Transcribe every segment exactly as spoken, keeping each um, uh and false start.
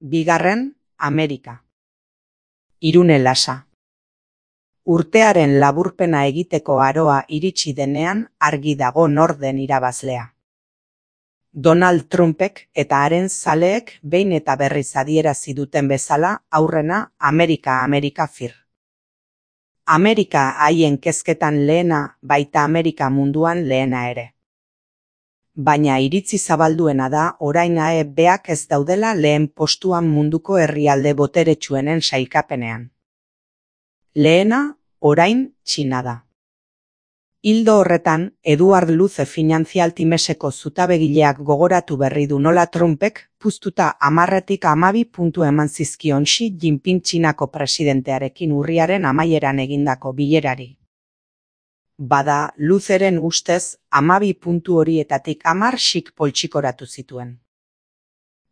Bigarren, Amerika. Irune Lasa. Urtearen laburpena egiteko aroa iritsi denean argi dago nor den irabazlea. Donald Trumpek eta haren zaleek behin eta berriz adierazi duten bezala aurrena Amerika Amerika fir. Amerika haien kezketan lehena, baita Amerika munduan lehena ere. Baina iritzi zabalduena da orain A E Bak ez daudela lehen postuan munduko herrialde boteretsuenen sailkapenean. Lehena, orain, Txina da. Ildo horretan, Eduard Luze Financial Timeseko zutabegileak gogoratu berri du nola Trumpek puztuta hamarretik hamabi puntu eman zizkion Xi Jinping Txinako presidentearekin urriaren amaieran egindako bilerari. Bada, Luzeren ustez, hamabi puntu horietatik hamar Xik poltsikoratu zituen.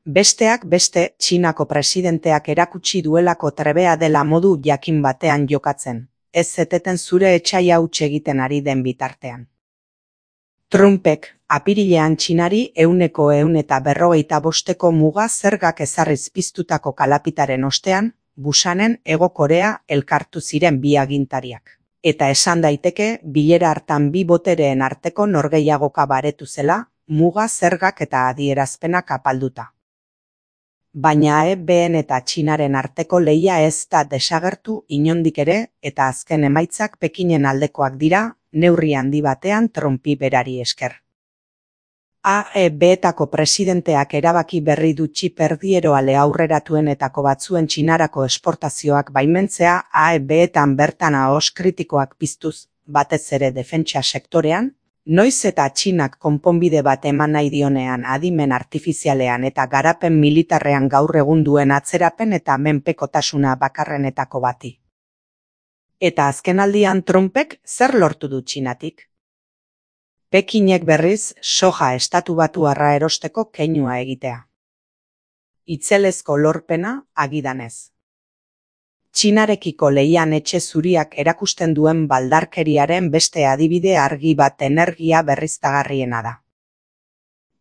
Besteak beste, Txinako presidenteak erakutsi duelako trebea dela modu jakin batean jokatzen, ez zeteten zure etsai hauts egiten ari den bitartean. Trumpek, apirilean Txinari ehuneko ehun eta berrogeita bosteko muga zergak ezarriz piztutako kalapitaren ostean, Busanen Hego Korea elkartu ziren bi agintariak. Eta esan daiteke, bilera hartan bi botereen arteko norgehiagoka baretu zela, muga zergak eta adierazpenak apalduta. Baina A E Bn eta Txinaren arteko lehia ez da desagertu inondik ere, eta azken emaitzak Pekinen aldekoak dira, neurri handi batean Trumpi berari esker. A E Betako presidenteak erabaki berri du txip erdieroale aurreratuenetako batzuen Txinarako esportazioak baimentzea A E Betan bertan ahos kritikoak piztuz, batez ere defentsa sektorean, noiz eta Txinak konponbide bat eman nahi dionean adimen artifizialean eta garapen militarrean gaur egun duen atzerapen eta menpekotasuna bakarrenetako bati. Eta azkenaldian Trumpek zer lortu du Txinatik? Pekinek berriz soja estatu batuarra erosteko keinua egitea. Itzelezko lorpena agidanez. Txinarekiko lehian etxe zuriak erakusten duen baldarkeriaren beste adibide argi bat energia berriztagarriena da.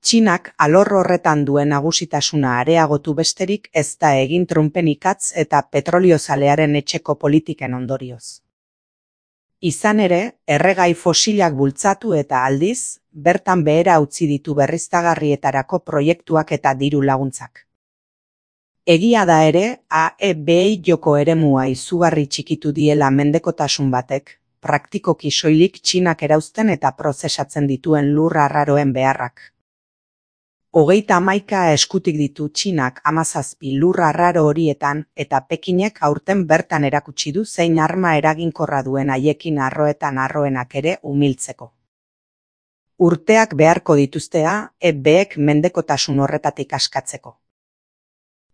Txinak alor horretan duen nagusitasuna areagotu besterik ez da egin Trumpen ikatz eta petroliozalearen etxeko politiken ondorioz. Izan ere, erregai fosilak bultzatu eta aldiz, bertan behera utzi ditu berriztagarrietarako proiektuak eta diru laguntzak. Egia da ere, A E Bi joko eremua izugarri txikitu diela mendekotasun batek, praktikoki soilik Txinak erauzten eta prozesatzen dituen lur arraroen beharrak. Hogeita hamaika eskutik ditu Txinak hamazazpi lur arraro horietan eta Pekinek aurten bertan erakutsi du zein arma eraginkorra duen haiekin arroetan arroenak ere umiltzeko. Urteak beharko dituzte A E Bek mendekotasun horretatik askatzeko.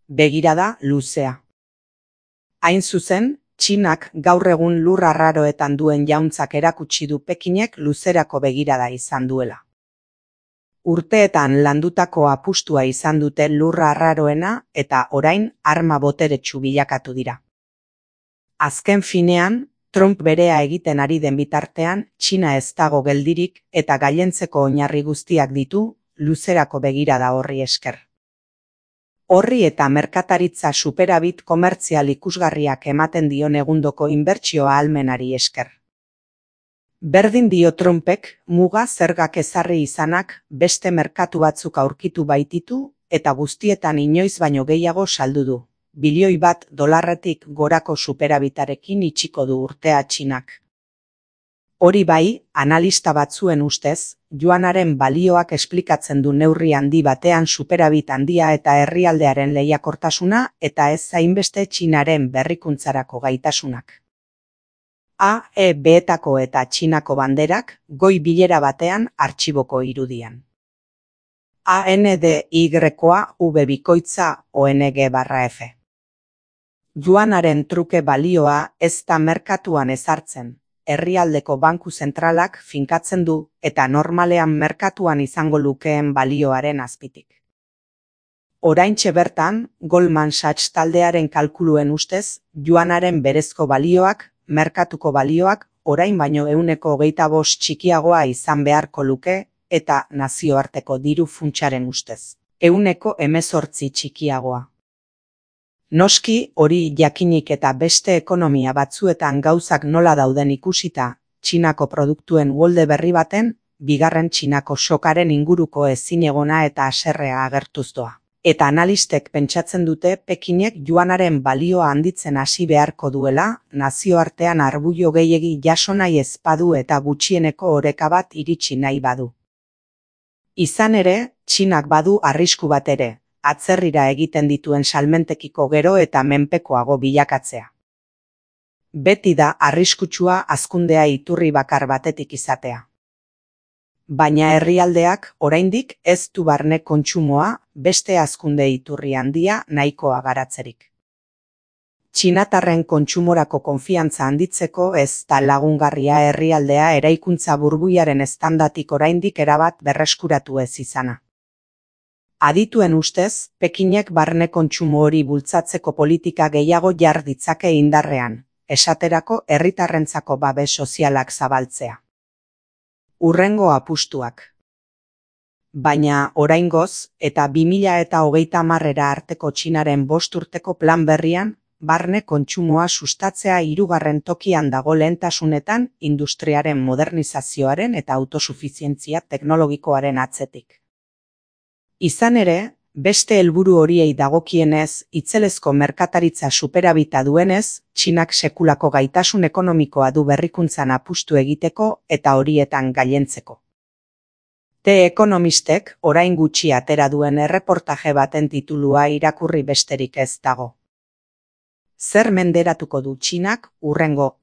Begirada luzea. Hain zuzen, Txinak gaur egun lur arraroetan duen jauntzak erakutsi du Pekinek luzerako begirada izan duela. Urteetan landutako apustua izan dute lurra arraroena eta orain arma boteretsu bilakatu dira. Azken finean, Trump berea egiten ari den bitartean, Txina ez dago geldirik eta gailentzeko oinarri guztiak ditu luzerako begirada horri esker. Horri eta merkataritza superabit komertzial ikusgarriak ematen dion egundoko inbertsio ahalmenari esker. Berdin dio Trumpek muga zergak ezarri izanak beste merkatu batzuk aurkitu baititu eta guztietan inoiz baino gehiago saldu du. Bilioi bat dolarretik gorako superabitarekin itxiko du urtea Txinak. Hori bai, analista batzuen ustez, juanaren balioak esplikatzen du neurri handi batean superabit handia eta herrialdearen lehiakortasuna eta ez hainbeste Txinaren berrikuntzarako gaitasunak. A E Betako eta Txinako banderak goi bilera batean artxiboko irudian. A N D Y-koa V bikoitza O N G barra F. Juanaren truke balioa ez da merkatuan ezartzen, herrialdeko banku zentralak finkatzen du eta normalean merkatuan izango lukeen balioaren azpitik. Oraintxe bertan, Goldman Sachs taldearen kalkuluen ustez, juanaren berezko balioak merkatuko balioak orain baino ehuneko hogeita bost txikiagoa izan beharko luke eta nazioarteko diru funtsaren ustez ehuneko hemezortzi txikiagoa. Noski hori jakinik eta beste ekonomia batzuetan gauzak nola dauden ikusita, Txinako produktuen uholde berri baten, bigarren Txinako sokaren inguruko ezinegona eta haserrea agertuz doa. Eta analistek pentsatzen dute Pekinek juanaren balioa handitzen hasi beharko duela, nazioartean arbuio gehiegi jaso nahi ez badu eta gutxieneko oreka bat iritsi nahi badu. Izan ere, Txinak badu arrisku bat ere, atzerrira egiten dituen salmentekiko gero eta menpekoago bilakatzea. Beti da arriskutsua hazkundea iturri bakar batetik izatea. Baina herrialdeak oraindik ez du barne kontsumoa beste hazkunde iturri handia nahikoa garatzerik. Txinatarren kontsumorako konfiantza handitzeko ez da lagungarria herrialdea eraikuntza burbuilaren eztandatik oraindik erabat berreskuratu ez izana. Adituen ustez, Pekinek barne kontsumo hori bultzatzeko politika gehiago jar ditzake indarrean, esaterako herritarrentzako babes sozialak zabaltzea. Hurrengo apustuak. Baina oraingoz eta bi mila hogeita hamarera arteko Txinaren bost urteko plan berrian, barne kontsumoa sustatzea hirugarren tokian dago lehentasunetan industriaren modernizazioaren eta autosufizientzia teknologikoaren atzetik. Izan ere, beste helburu horiei dagokienez, itzelezko merkataritza superabita duenez, Txinak sekulako gaitasun ekonomikoa du berrikuntzan apustu egiteko eta horietan gailentzeko. The Economistek orain gutxi atera duen erreportaje baten titulua irakurri besterik ez dago. Zer menderatuko du Txinak hurrengo?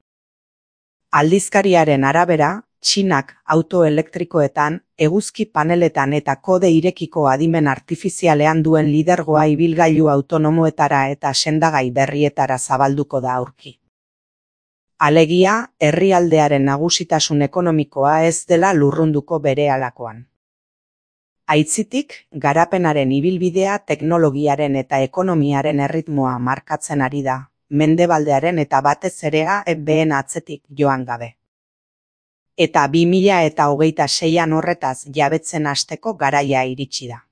Aldizkariaren arabera, Txinak auto elektrikoetan, eguzki paneletan eta kode irekiko adimen artifizialean duen lidergoa ibilgailu autonomoetara eta sendagai berrietara zabalduko da aurki. Alegia, herrialdearen nagusitasun ekonomikoa ez dela lurrunduko berehalakoan. Aitzitik, garapenaren ibilbidea teknologiaren eta ekonomiaren erritmoa markatzen ari da, mendebaldearen eta batez ere A E B:en atzetik joan gabe. Eta bi mila hogeita seian horretaz jabetzen hasteko garaia iritsi da.